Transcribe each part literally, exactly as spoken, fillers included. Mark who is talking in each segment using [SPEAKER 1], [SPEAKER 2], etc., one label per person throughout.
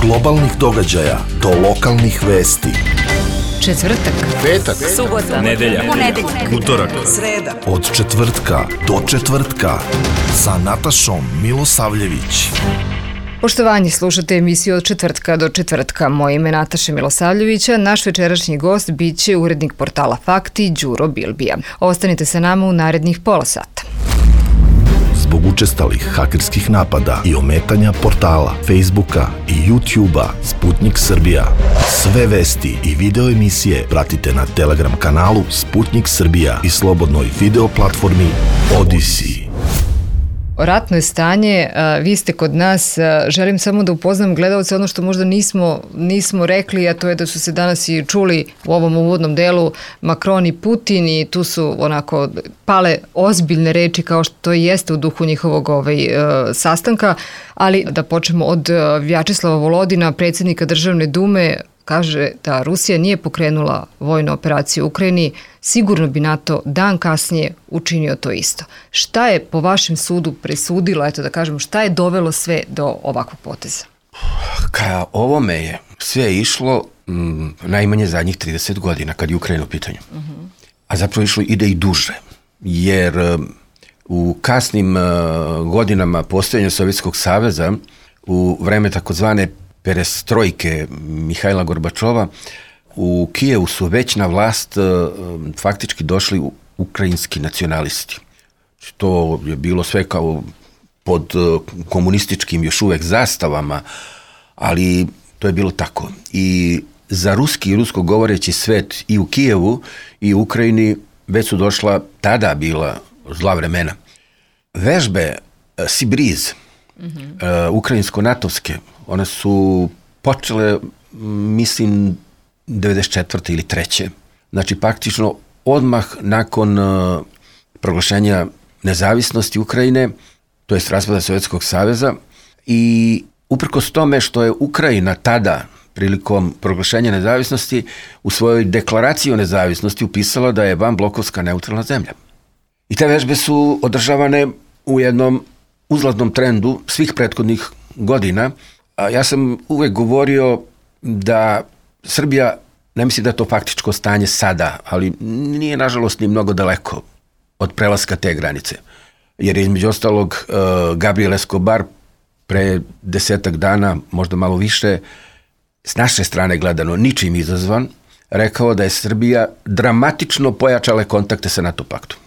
[SPEAKER 1] globalnih događaja do lokalnih vesti.
[SPEAKER 2] Četvrtak,
[SPEAKER 3] petak,
[SPEAKER 2] subota,
[SPEAKER 3] nedelja,
[SPEAKER 2] ponedeljak,
[SPEAKER 3] utorak,
[SPEAKER 2] sreda.
[SPEAKER 1] Od četvrtka do četvrtka sa Natašom Milosavljević.
[SPEAKER 2] Poštovanje, slušate emisiju Od četvrtka do četvrtka. Moje ime je Nataša Milosavljevića. Naš večerašnji gost bit će urednik portala Fakti, Đuro Bilbija. Ostanite sa nama u narednih pola sata.
[SPEAKER 1] Zbog učestalih hakerskih napada i ometanja portala, Facebooka i YouTubea Sputnik Srbija. Sve vesti i video emisije pratite na Telegram kanalu Sputnik Srbija i slobodnoj video platformi Odisi.
[SPEAKER 2] Ratno je stanje, vi ste kod nas, želim samo da upoznam gledalce ono što možda nismo, nismo rekli, a to je da su se danas i čuli u ovom uvodnom delu Macron i Putin i tu su onako pale ozbiljne reči kao što to jeste u duhu njihovog ovaj, sastanka, ali da počnemo od Vjačeslava Volodina, predsjednika Državne dume. Kaže da Rusija nije pokrenula vojnu operaciju u Ukrajini, sigurno bi NATO dan kasnije učinio to isto. Šta je po vašem sudu presudilo, eto da kažemo, šta je dovelo sve do ovakvog poteza?
[SPEAKER 3] Ka ovome je sve išlo m, najmanje zadnjih trideset godina kad je Ukrajina u pitanju. Uh-huh. A zapravo išlo ide i duže, jer um, u kasnim uh, godinama postojanja Sovjetskog saveza, u vreme takozvane perestrojke Mihajla Gorbačova, u Kijevu su već na vlast faktički došli ukrajinski nacionalisti. To je bilo sve kao pod komunističkim još uvek zastavama, ali to je bilo tako. I za ruski i rusko govoreći svet i u Kijevu i u Ukrajini već su došla tada bila zla vremena. Vežbe Sibriz, mm-hmm. uh, ukrajinsko-natovske, one su počele, mislim, devedeset četvrte ili treće. Znači, praktično odmah nakon uh, proglašenja nezavisnosti Ukrajine, to jest raspada Sovjetskog saveza, i uprkos tome što je Ukrajina tada, prilikom proglašenja nezavisnosti, u svojoj deklaraciji o nezavisnosti upisala da je vanblokovska neutralna zemlja. I te vežbe su održavane u jednom uzlaznom trendu svih prethodnih godina. A ja sam uvek govorio da Srbija, ne mislim da je to faktičko stanje sada, ali nije nažalost ni mnogo daleko od prelaska te granice. Jer je između ostalog uh, Gabriel Escobar pre desetak dana, možda malo više, s naše strane gledano, ničim izazvan, rekao da je Srbija dramatično pojačala kontakte sa NATO paktom.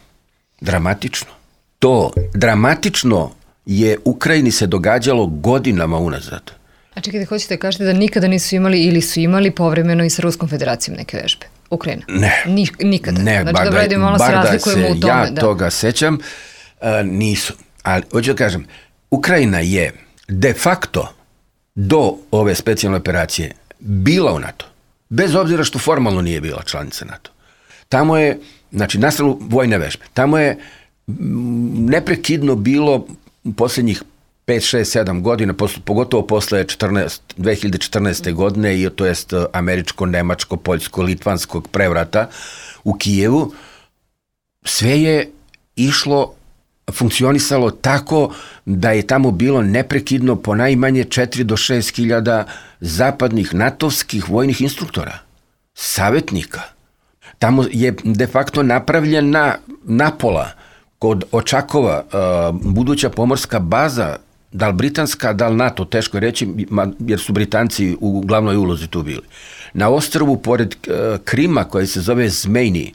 [SPEAKER 3] Dramatično. To dramatično je Ukrajini se događalo godinama unazad.
[SPEAKER 2] A čekajte, hoćete da kažete da nikada nisu imali ili su imali povremeno i sa Ruskom federacijom neke vežbe? Ukrajina?
[SPEAKER 3] Ne.
[SPEAKER 2] Ni, nikada?
[SPEAKER 3] Ne,
[SPEAKER 2] znači,
[SPEAKER 3] bar
[SPEAKER 2] da,
[SPEAKER 3] da,
[SPEAKER 2] malo
[SPEAKER 3] bar
[SPEAKER 2] se
[SPEAKER 3] da se
[SPEAKER 2] u tome,
[SPEAKER 3] ja
[SPEAKER 2] da.
[SPEAKER 3] toga sećam, uh, nisu. Ali, hoću da kažem, Ukrajina je de facto do ove specijalne operacije bila u NATO. Bez obzira što formalno nije bila članica NATO. Tamo je, znači, na stranu vojne vežbe, tamo je neprekidno bilo u posljednjih pet, šest, sedam godina, pogotovo posle dve hiljade četrnaeste. godine, i to jest američko, nemačko, poljsko, litvanskog prevrata u Kijevu, sve je išlo, funkcionisalo tako da je tamo bilo neprekidno po najmanje četiri do šest hiljada zapadnih natovskih vojnih instruktora, savjetnika. Tamo je de facto napravljena napola kod Očakova uh, buduća pomorska baza, da li britanska, da li NATO, teško je reći, jer su Britanci u glavnoj ulozi tu bili. Na ostrvu pored uh, Krima, koji se zove Zmejni,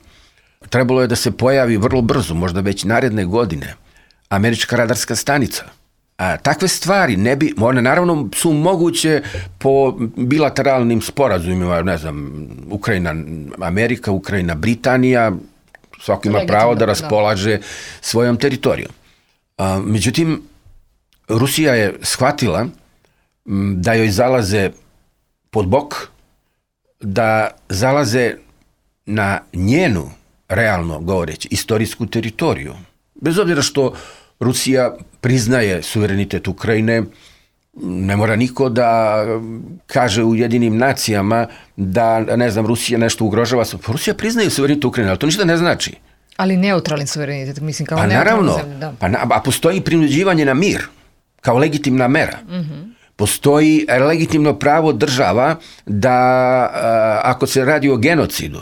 [SPEAKER 3] trebalo je da se pojavi vrlo brzo, možda već naredne godine, američka radarska stanica. A takve stvari ne bi, one naravno su moguće po bilateralnim sporazumima, ne znam, Ukrajina, Amerika, Ukrajina, Britanija, svako ima pravo da raspolaže svojom teritorijom. A, međutim, Rusija je shvatila da joj zalaze pod bok, da zalaze na njenu, realno govoreći, istorijsku teritoriju. Bez obzira što Rusija priznaje suverenitet Ukrajine, ne mora niko da kaže u Jedinim nacijama da, ne znam, Rusija nešto ugrožava. Rusija priznaje suverenitet Ukrajine, ali to ništa ne znači.
[SPEAKER 2] Ali neutralni suverenitet, mislim, kao
[SPEAKER 3] pa
[SPEAKER 2] neutralna
[SPEAKER 3] naravno,
[SPEAKER 2] zemlja, da.
[SPEAKER 3] Pa na, a postoji prinuđivanje na mir, kao legitimna mera.
[SPEAKER 2] Mm-hmm.
[SPEAKER 3] Postoji legitimno pravo država da, ako se radi o genocidu,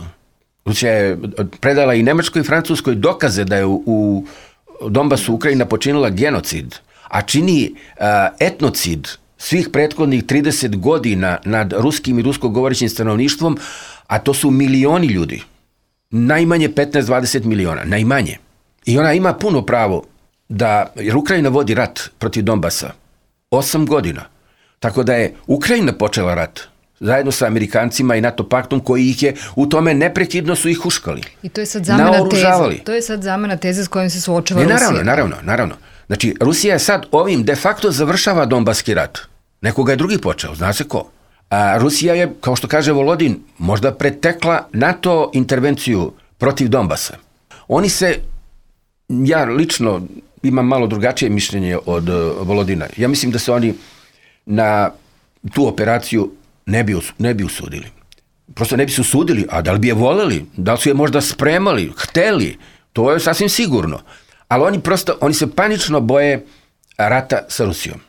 [SPEAKER 3] Rusija je predala i Nemačkoj i Francuskoj dokaze da je u, u Donbasu Ukrajina počinila genocid, a čini etnocid svih prethodnih trideset godina nad ruskim i rusko govorećim stanovništvom, a to su milioni ljudi. Najmanje petnaest do dvadeset miliona, najmanje. I ona ima puno pravo da, jer Ukrajina vodi rat protiv Donbasa osam godina. Tako da je Ukrajina počela rat zajedno sa Amerikancima i NATO paktom koji ih je u tome neprekidno su ih huškali.
[SPEAKER 2] I to je sad zamena teze. To je sad zamena teze s kojim se suočava Rusija.
[SPEAKER 3] Naravno, naravno, naravno. Znači, Rusija je sad ovim de facto završava Donbaski rat. Nekoga je drugi počeo, zna se ko. A Rusija je, kao što kaže Volodin, možda pretekla NATO intervenciju protiv Donbasa. Oni se, ja lično imam malo drugačije mišljenje od Volodina. Ja mislim da se oni na tu operaciju ne bi, ne bi usudili. Prosto ne bi se usudili, a da li bi je voleli, da li su je možda spremali, hteli, to je sasvim sigurno. Ali oni prosto, oni se panično boje rata sa Rusijom.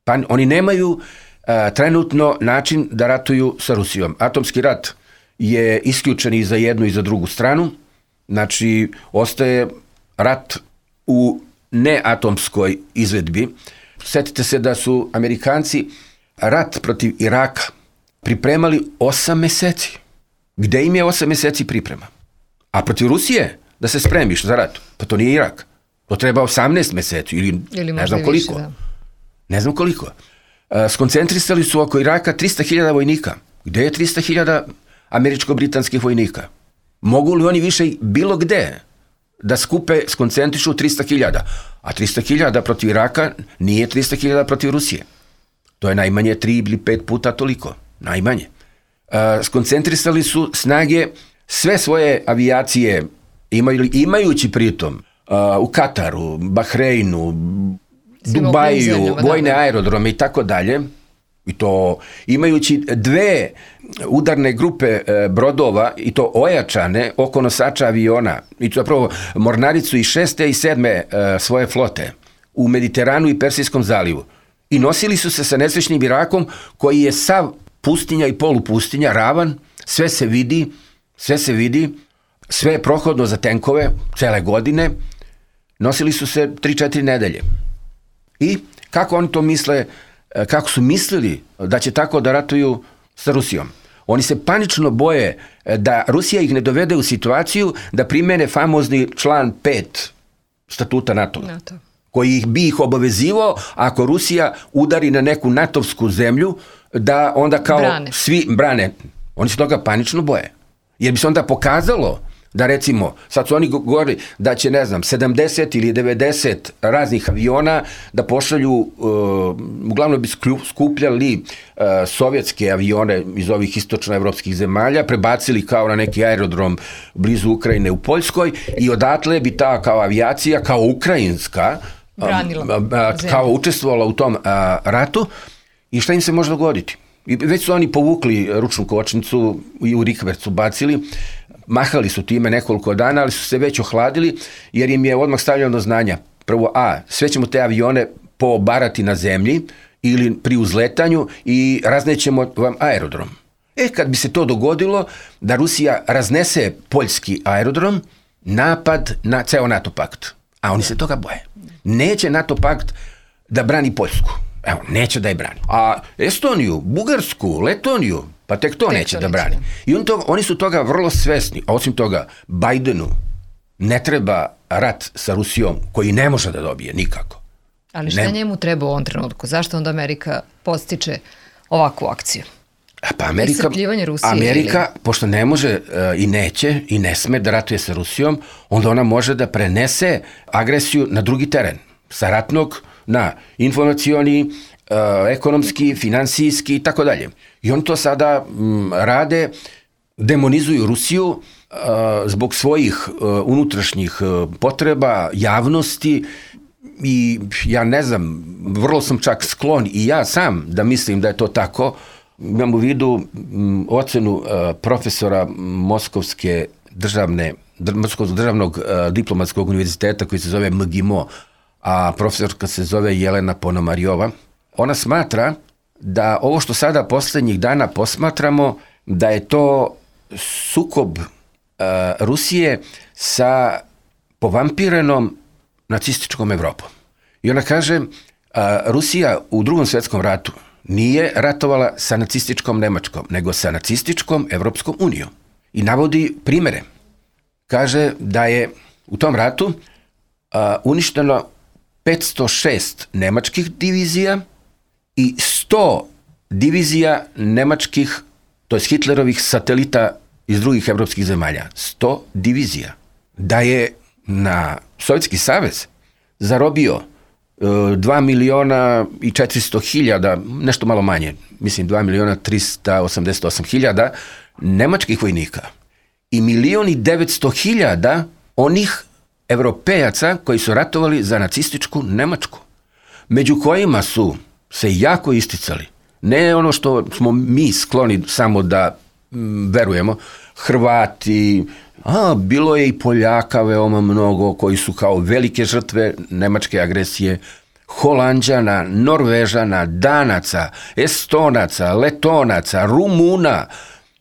[SPEAKER 3] Pan, oni nemaju a, trenutno način da ratuju sa Rusijom. Atomski rat je isključen i za jednu i za drugu stranu. Znači, ostaje rat u neatomskoj izvedbi. Sjetite se da su Amerikanci rat protiv Iraka pripremali osam meseci. Gde im je osam meseci priprema? A protiv Rusije da se spremiš za rat? Pa to nije Irak. To treba osamnaest meseci ili, ili ne znam koliko. Više, ne znam koliko. E, skoncentrisali su oko Iraka trista hiljada vojnika. Gde je trista hiljada američko-britanskih vojnika? Mogu li oni više bilo gde da skupe, skoncentrišu trista hiljada? A trista hiljada protiv Iraka nije trista hiljada protiv Rusije. To je najmanje tri ili pet puta toliko. Najmanje. E, skoncentrisali su snage, sve svoje avijacije, imaju, imajući pritom Uh, u Kataru, Bahreinu, Dubaju, vojne aerodrome i tako dalje, i to imajući dve udarne grupe e, brodova, i to ojačane oko nosača aviona, i to zapravo mornaricu i šeste i sedme e, svoje flote u Mediteranu i Persijskom zalivu. I nosili su se sa nesrećnim Irakom koji je sav pustinja i polupustinja, ravan, sve se vidi, sve se vidi, sve je prohodno za tenkove, cele godine. Nosili su se tri četiri nedelje. I kako oni to misle, kako su mislili da će tako da ratuju sa Rusijom? Oni se panično boje da Rusija ih ne dovede u situaciju da primene famozni član pet statuta NATO, NATO. Koji ih bi ih obavezivao ako Rusija udari na neku natovsku zemlju, da onda kao brane. Svi brane. Oni se toga panično boje. Jer bi se onda pokazalo da recimo, sad su oni govorili da će, ne znam, sedamdeset ili devedeset raznih aviona da pošalju, uh, uglavnom bi skupljali uh, sovjetske avione iz ovih istočnoevropskih zemalja, prebacili kao na neki aerodrom blizu Ukrajine u Poljskoj i odatle bi ta kao avijacija, kao ukrajinska,
[SPEAKER 2] branila
[SPEAKER 3] uh, uh, kao učestvovala u tom uh, ratu. I šta im se može dogoditi? I već su oni povukli ručnu kočnicu i u rikvercu bacili, mahali su time nekoliko dana, ali su se već ohladili, jer im je odmah stavljeno do znanja. Prvo, a, sve ćemo te avione pobarati na zemlji ili pri uzletanju i raznećemo vam aerodrom. E, kad bi se to dogodilo, da Rusija raznese poljski aerodrom, napad na ceo NATO pakt. A oni se toga boje. Neće NATO pakt da brani Poljsku. Evo, neće da je brani. A Estoniju, Bugarsku, Letoniju, pa tek to tek neće to da brani. I on to, oni su toga vrlo svesni. A osim toga, Bajdenu ne treba rat sa Rusijom koji ne može da dobije nikako.
[SPEAKER 2] Ali šta ne... njemu treba u ovom trenutku? Zašto onda Amerika postiče ovakvu akciju?
[SPEAKER 3] Pa Amerika,
[SPEAKER 2] Rusije,
[SPEAKER 3] Amerika
[SPEAKER 2] ili...
[SPEAKER 3] pošto ne može uh, i neće i ne sme da ratuje sa Rusijom, onda ona može da prenese agresiju na drugi teren. Sa ratnog na informacioni, uh, ekonomski, finansijski i tako dalje. I oni to sada m, rade, demonizuju Rusiju uh, zbog svojih uh, unutrašnjih uh, potreba, javnosti i ja ne znam, vrlo sam čak sklon i ja sam da mislim da je to tako. Imam u vidu m, ocenu uh, profesora Moskovske državne, Moskovskog državnog uh, diplomatskog univerziteta koji se zove M G I M O, a profesorka se zove Jelena Ponomarjova. Ona smatra da ovo što sada posljednjih dana posmatramo, da je to sukob uh, Rusije sa povampirenom nacističkom Evropom. I ona kaže, uh, Rusija u drugom svjetskom ratu nije ratovala sa nacističkom Nemačkom, nego sa nacističkom Evropskom unijom. I navodi primjere. Kaže da je u tom ratu uh, uništeno petsto šest nemačkih divizija i sto divizija nemačkih, to je Hitlerovih satelita iz drugih evropskih zemalja. sto divizija. Da je na Sovjetski savez zarobio dva miliona i četiristo hiljada, nešto malo manje, mislim dva miliona tristo osamdeset osam hiljada nemačkih vojnika i milion i devetsto hiljada onih Evropejaca koji su ratovali za nacističku Nemačku, među kojima su se jako isticali, ne ono što smo mi skloni samo da m, verujemo, Hrvati, a, bilo je i Poljaka veoma mnogo koji su kao velike žrtve nemačke agresije, Holanđana, Norvežana, Danaca, Estonaca, Letonaca, Rumuna,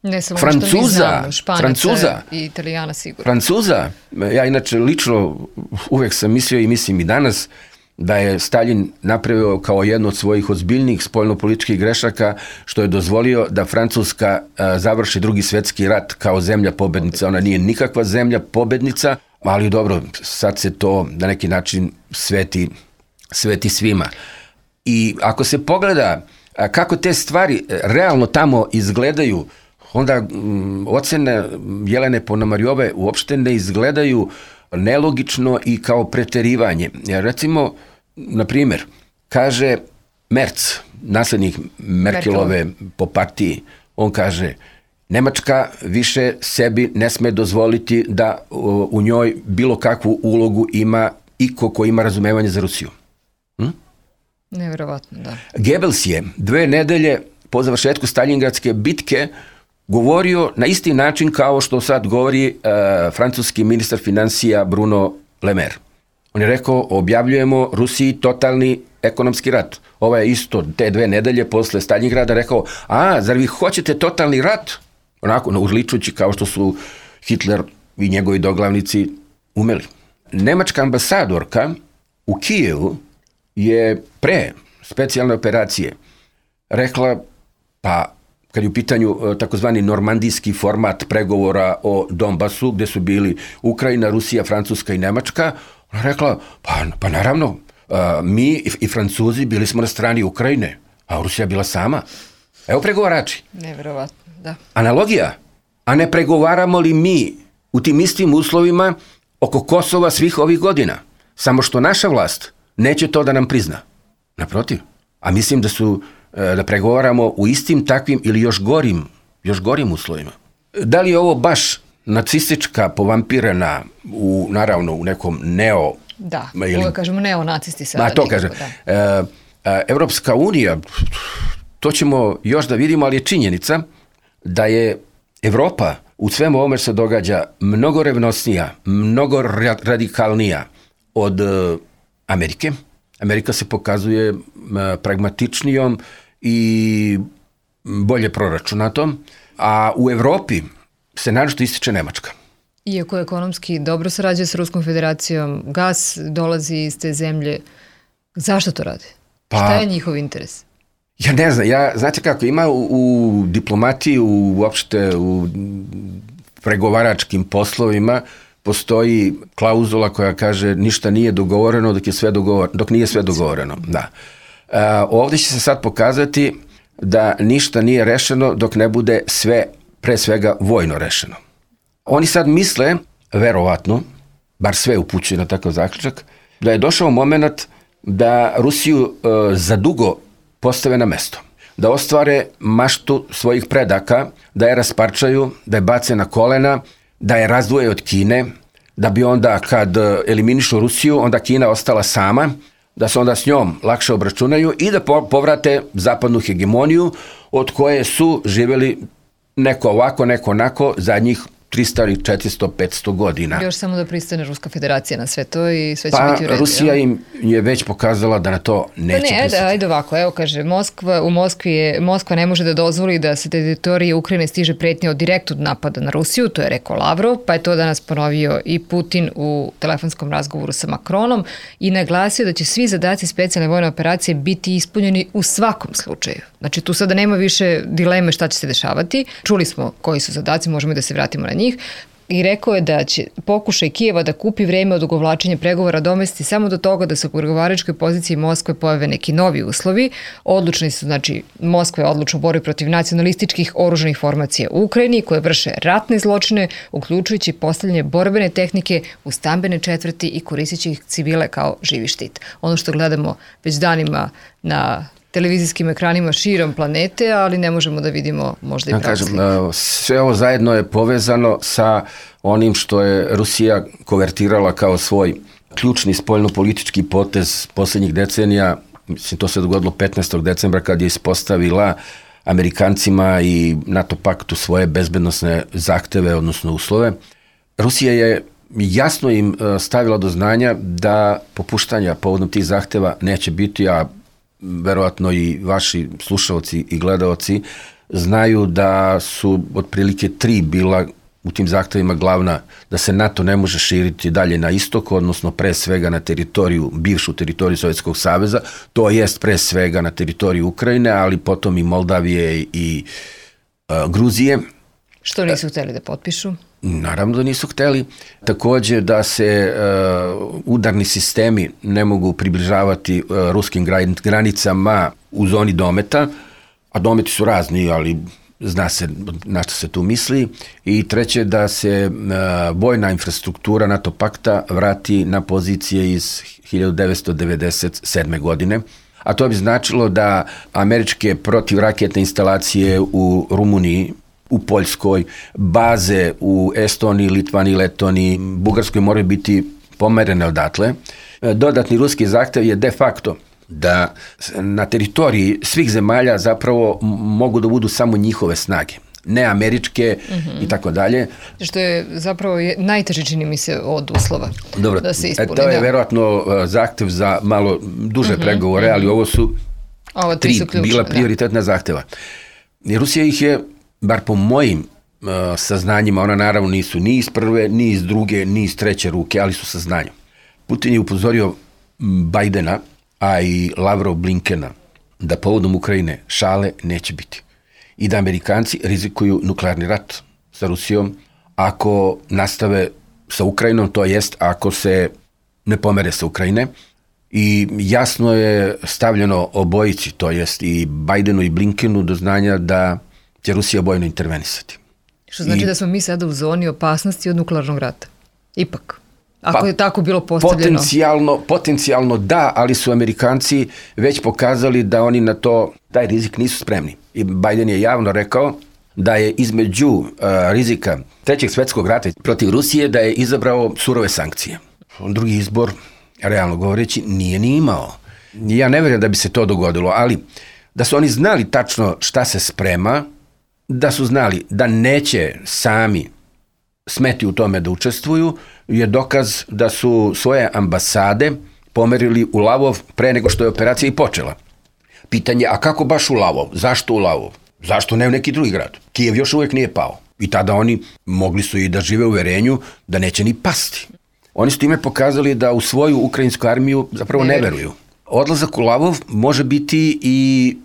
[SPEAKER 2] ne samo
[SPEAKER 3] Francuza,
[SPEAKER 2] što mi znamo, Španaca
[SPEAKER 3] Francuza,
[SPEAKER 2] i Italijana sigurno.
[SPEAKER 3] Francuza, ja inače lično uvek sam mislio i mislim i danas da je Stalin napravio kao jednu od svojih ozbiljnih spoljnopolitičkih grešaka što je dozvolio da Francuska a, završi drugi svjetski rat kao zemlja pobednica. Ona nije nikakva zemlja pobednica, ali dobro, sad se to na neki način sveti, sveti svima. I ako se pogleda a, kako te stvari realno tamo izgledaju, onda m, ocene Jelene Ponomarjove uopšte ne izgledaju nelogično i kao preterivanje. Jer recimo, na primjer, kaže Merz, nasljednik Merkelove Merkel. Po partiji, on kaže, Nemačka više sebi ne sme dozvoliti da u, u njoj bilo kakvu ulogu ima iko ko ima razumevanje za Rusiju. Hm?
[SPEAKER 2] Nevjerovatno, da.
[SPEAKER 3] Goebbels je dve nedelje po završetku Staljingradske bitke govorio na isti način kao što sad govori uh, francuski ministar financija Bruno Le Maire. On je rekao, objavljujemo Rusiji totalni ekonomski rat. Ovo je isto te dve nedelje posle Staljingrada rekao, a, zar vi hoćete totalni rat? Onako, uzličujući kao što su Hitler i njegovi doglavnici umeli. Nemačka ambasadorka u Kijevu je pre specijalne operacije rekla, pa kad je u pitanju takozvani normandijski format pregovora o Donbasu, gde su bili Ukrajina, Rusija, Francuska i Nemačka, ona rekla, pa, pa naravno, mi i, i Francuzi bili smo na strani Ukrajine, a Rusija bila sama. Evo pregovarači.
[SPEAKER 2] Nevjerovatno, da.
[SPEAKER 3] Analogija. A ne pregovaramo li mi u tim istim uslovima oko Kosova svih ovih godina? Samo što naša vlast neće to da nam prizna. Naprotiv. A mislim da su da pregovaramo u istim takvim ili još gorim, još gorim uslovima. Da li je ovo baš nacistička povampirana u, naravno, u nekom neo...
[SPEAKER 2] Da, ili, ovo kažemo neonacisti sada.
[SPEAKER 3] Ma, to kaže. E, Evropska unija, to ćemo još da vidimo, ali je činjenica da je Evropa u svemu ovome se događa mnogo revnosnija, mnogo radikalnija od uh, Amerike. Amerika se pokazuje uh, pragmatičnijom i bolje proračunatom, a u Evropi se naročito ističe Nemačka.
[SPEAKER 2] Iako ekonomski dobro sarađuje sa Ruskom federacijom, gas dolazi iz te zemlje. Zašto to radi? Pa, šta je njihov interes?
[SPEAKER 3] Ja ne znam, ja, znate kako, ima u, u diplomatiji, u, uopšte u pregovaračkim poslovima, postoji klauzula koja kaže ništa nije dogovoreno dok, je sve dogovor, dok nije sve dogovoreno. Da. A, ovdje će se sad pokazati da ništa nije rešeno dok ne bude sve, pre svega, vojno rešeno. Oni sad misle, verovatno, bar sve upućuje na takav zaključak, da je došao moment da Rusiju e, za dugo postave na mesto. Da ostvare maštu svojih predaka, da je rasparčaju, da je bace na kolena, da je razdvoje od Kine, da bi onda kad eliminišu Rusiju, onda Kina ostala sama, da se onda s njom lakše obračunaju i da povrate zapadnu hegemoniju od koje su živjeli neko ovako, neko onako zadnjih tristo, četiristo, petsto godina.
[SPEAKER 2] Još samo da pristane Ruska federacija na sve to i sve će
[SPEAKER 3] pa,
[SPEAKER 2] biti u redu.
[SPEAKER 3] Pa Rusija im je već pokazala da na to neće
[SPEAKER 2] pa ne,
[SPEAKER 3] pristati.
[SPEAKER 2] Ajde, ajde ovako, evo kaže, Moskva, u Moskvi je, Moskva ne može da dozvoli da se teritorije Ukrajine stiže pretnje od direktnog napada na Rusiju, to je rekao Lavrov, pa je to danas ponovio i Putin u telefonskom razgovoru sa Makronom i naglasio da će svi zadaci specijalne vojne operacije biti ispunjeni u svakom slučaju. Znači tu sada nema više dileme šta će se dešavati. Čuli smo koji su zadaci, možemo i da se vratimo na njih. I rekao je da će pokušaj Kijeva da kupi vreme od odugovlačenja pregovora domesti samo do toga da se u pregovaračkoj poziciji Moskve pojave neki novi uslovi. Odlučni su, znači, Moskva je odlučna u borbi protiv nacionalističkih oružanih formacija u Ukrajini koje vrše ratne zločine, uključujući postavljanje borbene tehnike u stambene četvrti i koristeći ih civile kao živi štit. Ono što gledamo već danima na televizijskim ekranima širom planete, ali ne možemo da vidimo možda i
[SPEAKER 3] ja
[SPEAKER 2] pravu
[SPEAKER 3] kažem, sve ovo zajedno je povezano sa onim što je Rusija konvertirala kao svoj ključni spoljno-politički potez posljednjih decenija. Mislim, to se dogodilo petnaestog decembra kad je ispostavila Amerikancima i NATO paktu svoje bezbednosne zahteve, odnosno uslove. Rusija je jasno im stavila do znanja da popuštanja povodom tih zahteva neće biti, a verovatno i vaši slušalci i gledaoci znaju da su otprilike tri bila u tim zahtevima glavna, da se NATO ne može širiti dalje na istok, odnosno pre svega na teritoriju, bivšu teritoriju Sovjetskog saveza, to jest pre svega na teritoriju Ukrajine, ali potom i Moldavije i uh, Gruzije.
[SPEAKER 2] Što nisu hteli da potpišu?
[SPEAKER 3] Naravno da nisu hteli. Takođe da se uh, udarni sistemi ne mogu približavati uh, ruskim granicama u zoni dometa, a dometi su razni, ali zna se na što se tu misli. I treće, da se uh, vojna infrastruktura NATO pakta vrati na pozicije iz hiljadu devetsto devedeset sedme. godine. A to bi značilo da američke protivraketne instalacije u Rumuniji, u Poljskoj, baze u Estoniji, Litvaniji, Letoniji, Bugarskoj moraju biti pomerene odatle. Dodatni ruski zahtev je de facto da na teritoriji svih zemalja zapravo mogu da budu samo njihove snage, ne američke mm-hmm. i tako dalje.
[SPEAKER 2] Što je zapravo najteže, čini mi se, od uslova.
[SPEAKER 3] Dobro,
[SPEAKER 2] da se ispuni.
[SPEAKER 3] To je verovatno zahtev za malo duže mm-hmm. pregovore, ali ovo su
[SPEAKER 2] ovo
[SPEAKER 3] tri
[SPEAKER 2] su ključne,
[SPEAKER 3] bila prioritetna da. zahteva. I Rusija ih je, bar po mojim uh, saznanjima, ona naravno nisu ni iz prve, ni iz druge, ni iz treće ruke, ali su saznanja. Putin je upozorio Bajdena, a i Lavrov Blinkena, da povodom Ukrajine šale neće biti. I da Amerikanci rizikuju nuklearni rat sa Rusijom ako nastave sa Ukrajinom, to jest ako se ne pomere sa Ukrajine. I jasno je stavljeno obojici, to jest i Bajdenu i Blinkenu, do znanja da će Rusija bojno intervenisati.
[SPEAKER 2] Što znači I, da smo mi sada u zoni opasnosti od nuklearnog rata? Ipak. Ako pa, je tako bilo postavljeno.
[SPEAKER 3] Potencijalno, potencijalno da, ali su Amerikanci već pokazali da oni na to, taj rizik nisu spremni. I Biden je javno rekao da je između uh, rizika trećeg svetskog rata protiv Rusije da je izabrao surove sankcije. Drugi izbor, realno govoreći, nije ni imao. Ja ne vjerujem da bi se to dogodilo, ali da su oni znali tačno šta se sprema, da su znali da neće sami smeti u tome da učestvuju, je dokaz da su svoje ambasade pomerili u Lavov pre nego što je operacija i počela. Pitanje, a kako baš u Lavov? Zašto u Lavov? Zašto ne u neki drugi grad? Kijev još uvijek nije pao. I tada oni mogli su i da žive u uverenju da neće ni pasti. Oni su time pokazali da u svoju ukrajinsku armiju zapravo ne veruju. Odlazak u Lavov može biti i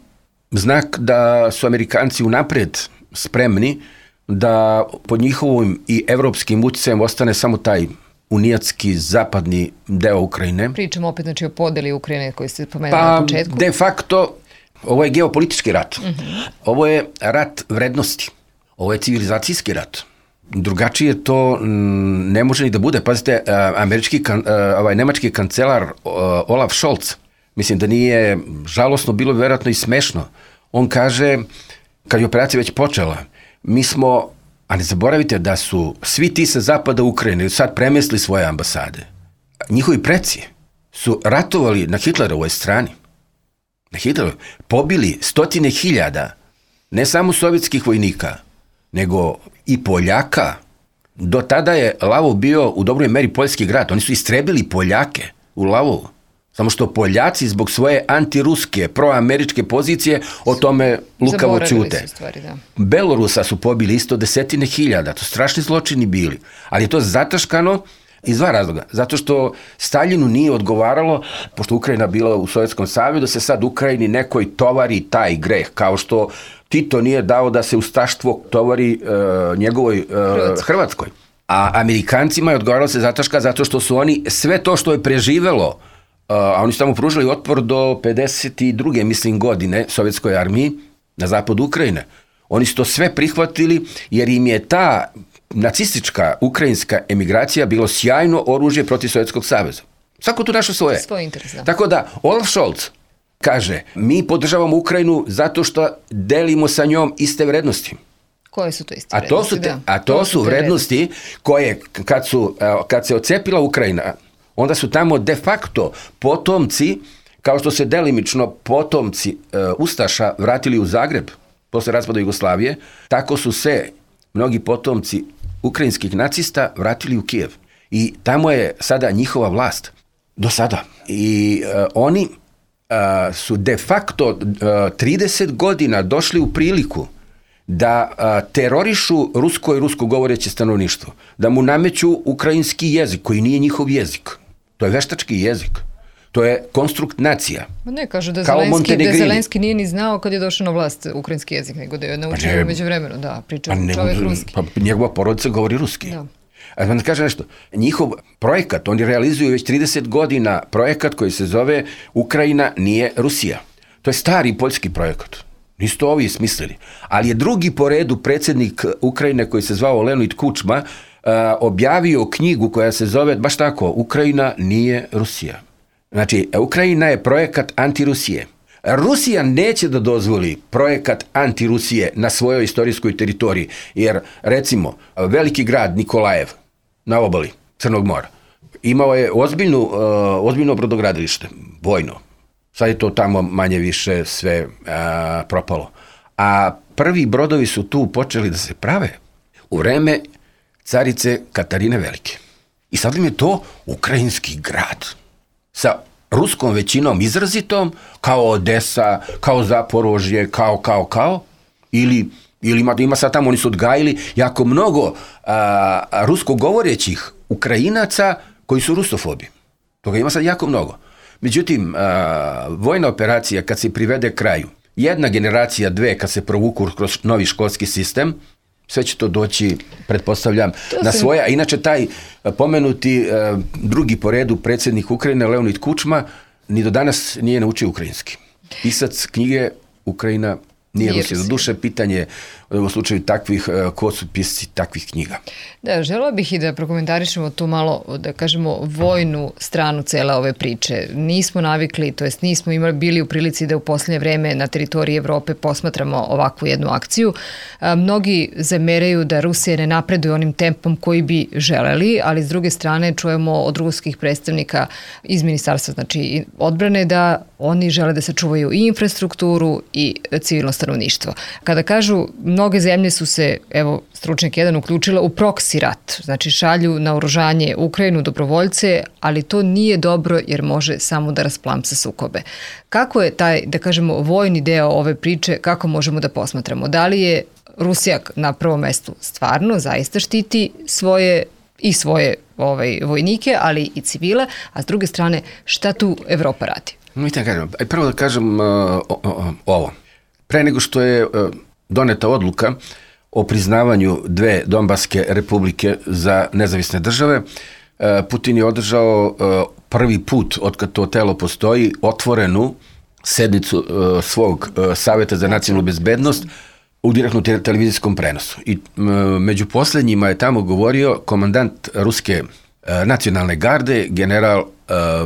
[SPEAKER 3] znak da su Amerikanci unapred spremni da pod njihovim i evropskim utjecajem ostane samo taj unijatski zapadni deo Ukrajine.
[SPEAKER 2] Pričamo opet znači o podeli Ukrajine koji ste pomenuli
[SPEAKER 3] pa,
[SPEAKER 2] na početku.
[SPEAKER 3] De facto, ovo je geopolitički rat. Mm-hmm. Ovo je rat vrednosti. Ovo je civilizacijski rat. Drugačije to m, ne može ni da bude. Pazite, američki, kan, ovaj, nemački kancelar Olaf Scholz, mislim da nije žalosno, bilo bi vjerojatno i smešno. On kaže, kad je operacija već počela, mi smo, a ne zaboravite da su svi ti sa zapada Ukrajine sad premestili svoje ambasade. Njihovi preci su ratovali na Hitlerovoj strani. Na Hitlerovoj. Pobili stotine hiljada, ne samo sovjetskih vojnika, nego i Poljaka, Do tada je Lavov bio u dobroj meri poljski grad. Oni su istrebili Poljake u Lavovu. Samo što Poljaci zbog svoje antiruske, proameričke pozicije o tome lukavo ćute. Belorusa su pobili isto desetine hiljada. To strašni zločini bili. Ali je to zataškano iz dva razloga. Zato što Staljinu nije odgovaralo, pošto Ukrajina bila u Sovjetskom savezu, da se sad Ukrajini nekoj tovari taj greh, kao što Tito nije dao da se ustaštvo tovari uh, njegovoj uh, Hrvatskoj. Hrvatskoj. A Amerikancima je odgovaralo se zataška zato što su oni sve to što je preživelo, uh, a oni su tamo pružili otpor do pedeset druge mislim godine Sovjetskoj armiji na zapadu Ukrajine. Oni su to sve prihvatili jer im je ta nacistička ukrajinska emigracija bilo sjajno oružje protiv Sovjetskog saveza. Svako tu našo svoje.
[SPEAKER 2] Svoj interes, da.
[SPEAKER 3] Tako da, Olaf Scholz kaže, mi podržavamo Ukrajinu zato što delimo sa njom iste vrednosti.
[SPEAKER 2] Koje su to iste
[SPEAKER 3] a to
[SPEAKER 2] vrednosti?
[SPEAKER 3] Su te, a to, to su, su vrednosti, vrednosti koje, kad, su, kad se ocepila Ukrajina, onda su tamo de facto potomci, kao što se delimično potomci uh, Ustaša vratili u Zagreb posle raspada Jugoslavije, tako su se mnogi potomci ukrajinskih nacista vratili u Kijev. I tamo je sada njihova vlast. Do sada. I uh, oni uh, su de facto uh, trideset godina došli u priliku da uh, terorišu rusko i rusko govoreće stanovništvo. Da mu nameću ukrajinski jezik, koji nije njihov jezik. To je veštački jezik. To je konstrukt nacija.
[SPEAKER 2] Ne, kažu da Zelenski, da Zelenski nije ni znao kad je došao na vlast ukrajinski jezik, nego da je naučio pa među vremenu. Da, priča pa čovjek ne, ruski.
[SPEAKER 3] Pa njegova porodica govori ruski. Da. A da kažem nešto, njihov projekat, oni realizuju već trideset godina projekat koji se zove Ukrajina nije Rusija. To je stari poljski projekat. Nisu to ovi smislili. Ali je drugi po redu predsjednik Ukrajine koji se zvao Leonid Kučma uh, objavio knjigu koja se zove, baš tako, Ukrajina nije Rusija. Znači, Ukrajina je projekat antirusije. Rusija neće da dozvoli projekat antirusije na svojoj istorijskoj teritoriji, jer, recimo, veliki grad Nikolajev na obali Crnog mora imao je ozbiljnu, uh, ozbiljno brodogradilište, vojno. Sad je to tamo manje više sve uh, propalo. A prvi brodovi su tu počeli da se prave u vreme carice Katarine Velike. I sad im je to ukrajinski grad sa ruskom većinom izrazitom, kao Odesa, kao Zaporožje, kao, kao, kao, ili, ili ima, ima sad tamo, oni su odgajili jako mnogo a, a, rusko govorećih Ukrajinaca koji su rusofobi. Toga ima sad jako mnogo. Međutim, a, vojna operacija kad se privede kraju, jedna generacija, dve, kad se provuku kroz novi školski sistem, sve će to doći, pretpostavljam, to na sam... svoje. A inače, taj pomenuti uh, drugi po redu predsjednik Ukrajine, Leonid Kučma, ni do danas nije naučio ukrajinski. Pisac knjige Ukrajina nije Rusija. Do duše pitanje u slučaju takvih, uh, ko su pisci takvih knjiga.
[SPEAKER 2] Da, želila bih i da prokomentarišemo tu malo, da kažemo, vojnu stranu cele ove priče. Nismo navikli, to jest nismo imali bili u prilici da u posljednje vreme na teritoriji Evrope posmatramo ovakvu jednu akciju. A, mnogi zameraju da Rusija ne napreduje onim tempom koji bi želeli, ali s druge strane čujemo od ruskih predstavnika iz ministarstva, znači odbrane, da oni žele da sačuvaju i infrastrukturu i civilno stanovništvo. Kada kažu mnoge zemlje su se, evo, stručnjak jedan uključila u proksi rat, znači šalju na oružanje Ukrajinu dobrovoljce, ali to nije dobro jer može samo da rasplamsa sukobe. Kako je taj, da kažemo, vojni deo ove priče, kako možemo da posmatramo? Da li je Rusija na prvom mestu stvarno zaista štiti svoje i svoje ovaj, vojnike, ali i civile, a s druge strane, šta tu Evropa radi?
[SPEAKER 3] Vidite, kažem, prvo da kažem uh, o, o, ovo. Pre nego što je uh, doneta odluka o priznavanju dve Donbaske republike za nezavisne države, Putin je održao prvi put, otkad to telo postoji, otvorenu sednicu svog Saveta za nacionalnu bezbednost u direktnom televizijskom prenosu. I među posljednjima je tamo govorio komandant ruske nacionalne garde, general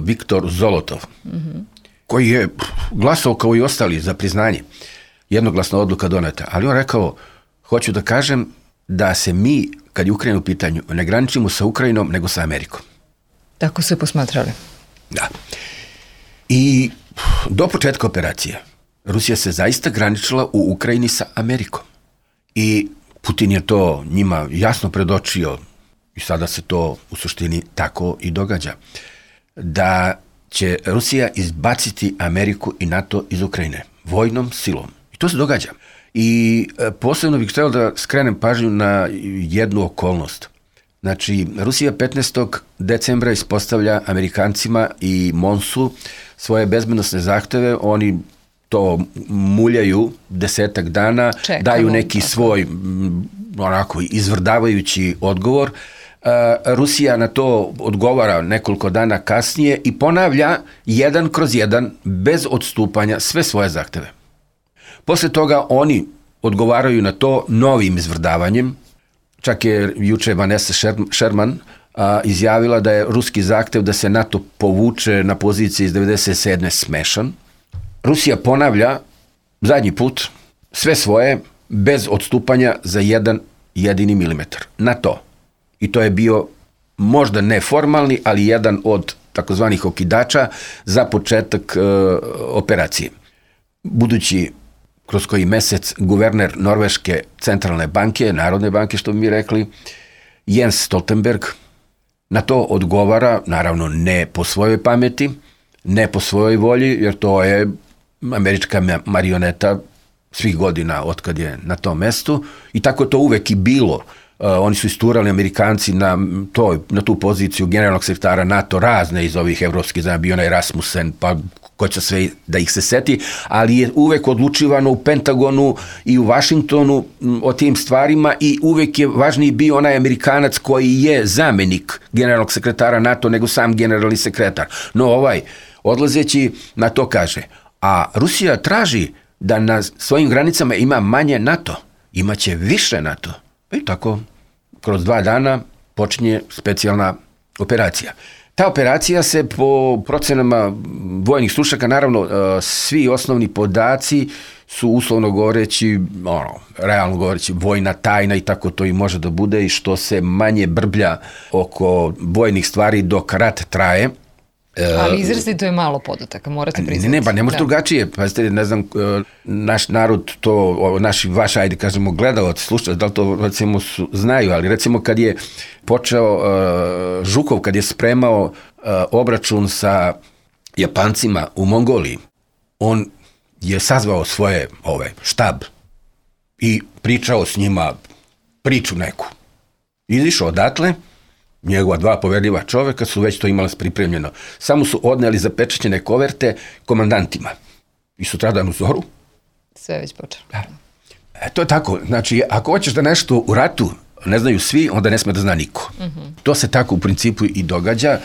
[SPEAKER 3] Viktor Zolotov, mm-hmm. koji je glasao kao i ostali za priznanje. Jednoglasna odluka doneta. Ali on rekao, hoću da kažem da se mi, kad je Ukrajina u pitanju, ne graničimo sa Ukrajinom, nego sa Amerikom.
[SPEAKER 2] Tako su je posmatrali.
[SPEAKER 3] Da. I do početka operacije Rusija se zaista graničila u Ukrajini sa Amerikom. I Putin je to njima jasno predočio i sada se to u suštini tako i događa, da će Rusija izbaciti Ameriku i NATO iz Ukrajine vojnom silom. I to se događa. I posebno bih htio da skrenem pažnju na jednu okolnost. Znači, Rusija petnaestog decembra ispostavlja Amerikancima i Monsu svoje bezbednosne zahteve, oni to muljaju desetak dana, Čekamo, daju neki tako. svoj onako izvrdavajući odgovor. Rusija na to odgovara nekoliko dana kasnije i ponavlja jedan kroz jedan, bez odstupanja, sve svoje zahteve. Posle toga oni odgovaraju na to novim izvrdavanjem. Čak je juče Vanessa Sherman a, izjavila da je ruski zahtev da se NATO povuče na poziciji iz devedeset sedme smešan. Rusija ponavlja zadnji put sve svoje bez odstupanja za jedan jedini milimetar. Na to. I to je bio možda neformalni, ali jedan od takozvanih okidača za početak e, operacije. Budući kroz koji mesec guverner Norveške centralne banke, Narodne banke što bi mi rekli, Jens Stoltenberg, na to odgovara, naravno ne po svojoj pameti, ne po svojoj volji, jer to je američka marioneta svih godina otkad je na tom mestu i tako to uvek i bilo. Uh, oni su isturali Amerikanci na, to, na tu poziciju generalnog sekretara NATO razne iz ovih evropskih, znam, bio onaj Rasmussen, pa ko će sve da ih se seti, ali je uvek odlučivano u Pentagonu i u Vašingtonu o tim stvarima i uvek je važniji bio onaj Amerikanac koji je zamenik generalnog sekretara NATO nego sam generalni sekretar. No ovaj, odlazeći na to kaže, a Rusija traži da na svojim granicama ima manje NATO, imaće više NATO. I tako, kroz dva dana počinje specijalna operacija. Ta operacija se po procenama vojnih stručnjaka, naravno, svi osnovni podaci su uslovno govoreći, ono, realno govoreći, vojna tajna i tako to i može da bude i što se manje brblja oko vojnih stvari dok rat traje.
[SPEAKER 2] Ali izrazito je malo podataka, morate priznati.
[SPEAKER 3] Ne, pa ne može drugačije. Pazite, ne znam, naš narod to, naši, vaš, ajde kažemo, gledalac, slušalac, da li to recimo su, znaju, ali recimo kad je počeo uh, Žukov, kad je spremao uh, obračun sa Japancima u Mongoliji, on je sazvao svoje ove, štab i pričao s njima priču neku. Izišao odatle, njegova dva poverljiva čoveka su već to imali pripremljeno. Samo su odneli zapečaćene koverte komandantima. I sutradan u zoru.
[SPEAKER 2] Sve već počelo.
[SPEAKER 3] Da. E, to je tako. Znači, ako hoćeš da nešto u ratu ne znaju svi, onda ne sme da zna niko. Mm-hmm. To se tako u principu i događa.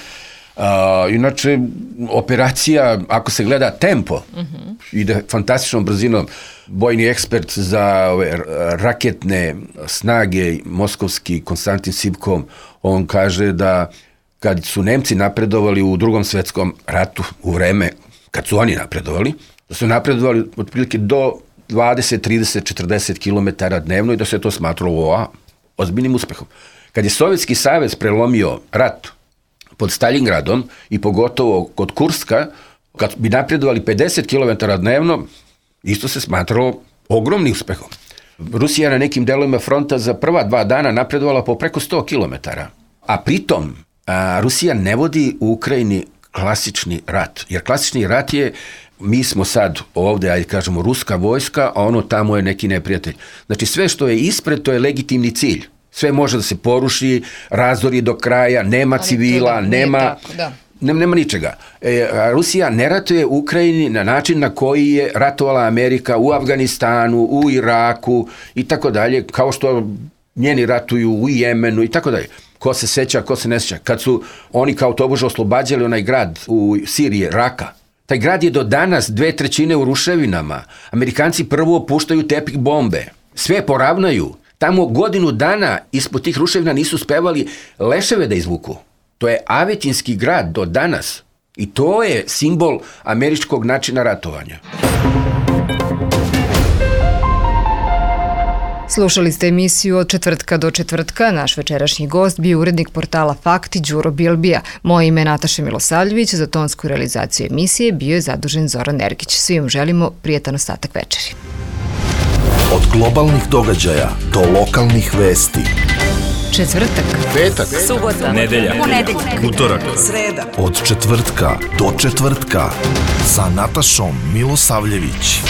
[SPEAKER 3] Uh, inače, operacija, ako se gleda tempo, mm-hmm. ide fantastičnom brzinom. Vojni ekspert za ove raketne snage, moskovski Konstantin Sivkov, on kaže da kad su Nemci napredovali u Drugom svetskom ratu, u vreme kad su oni napredovali, da su napredovali otprilike do dvadeset, trideset, četrdeset kilometara dnevno i da se to smatralo o, ozbiljnim uspehom. Kad je Sovjetski savez prelomio rat pod Stalingradom i pogotovo kod Kurska, kad bi napredovali pedeset kilometara dnevno, isto se smatralo ogromnim uspehom. Rusija na nekim delovima fronta za prva dva dana napredovala po preko sto kilometara. A pritom, a, Rusija ne vodi u Ukrajini klasični rat. Jer klasični rat je, mi smo sad ovde, ajde kažemo, ruska vojska, a ono tamo je neki neprijatelj. Znači sve što je ispred, to je legitimni cilj. Sve može da se poruši, razori do kraja, nema ali civila, to, nema... Tako, da. Nema, nema ničega. E, Rusija ne ratuje u Ukrajini na način na koji je ratovala Amerika u Afganistanu, u Iraku i tako dalje, kao što njeni ratuju u Jemenu i tako dalje. Ko se seća, ko se ne seća. Kad su oni kao tobože oslobađali onaj grad u Siriji, Raka, taj grad je do danas dve trećine u ruševinama. Amerikanci prvo opuštaju tepih bombe. Sve poravnaju. Tamo godinu dana ispod tih ruševina nisu uspevali leševe da izvuku. To je Avetinski grad do danas i to je simbol američkog načina ratovanja.
[SPEAKER 2] Slušali ste emisiju Od četvrtka do četvrtka. Naš večerašnji gost bio urednik portala Fakti Đuro Bilbija. Moje ime je Nataša Milosavljević, za tonsku realizaciju emisije bio je zadužen Zoran Ergić. Svim želimo prijetan ostatak večeri.
[SPEAKER 1] Od globalnih događaja do lokalnih vesti.
[SPEAKER 2] Četvrtak,
[SPEAKER 1] petak,
[SPEAKER 4] subota,
[SPEAKER 5] nedelja,
[SPEAKER 4] ponedeljak,
[SPEAKER 5] utorak,
[SPEAKER 4] sreda.
[SPEAKER 1] od četvrtka do četvrtka sa Natašom Milosavljević.